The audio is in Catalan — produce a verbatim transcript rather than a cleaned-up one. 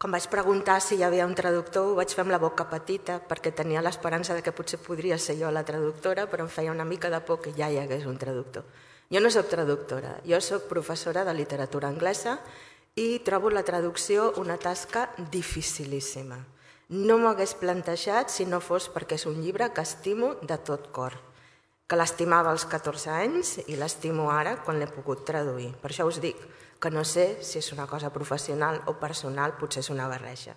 Quan vaig preguntar si hi havia un traductor, ho vaig fer amb la boca petita, perquè tenia l'esperança que potser podria ser jo la traductora, però em feia una mica de por que ja hi hagués un traductor. Jo no soc traductora, jo soc professora de literatura anglesa i trobo la traducció una tasca dificilíssima. No m'ho hagués plantejat si no fos perquè és un llibre que estimo de tot cor, que l'estimava als catorze anys i l'estimo ara quan l'he pogut traduir. Per això us dic que no sé si és una cosa professional o personal, potser és una barreja.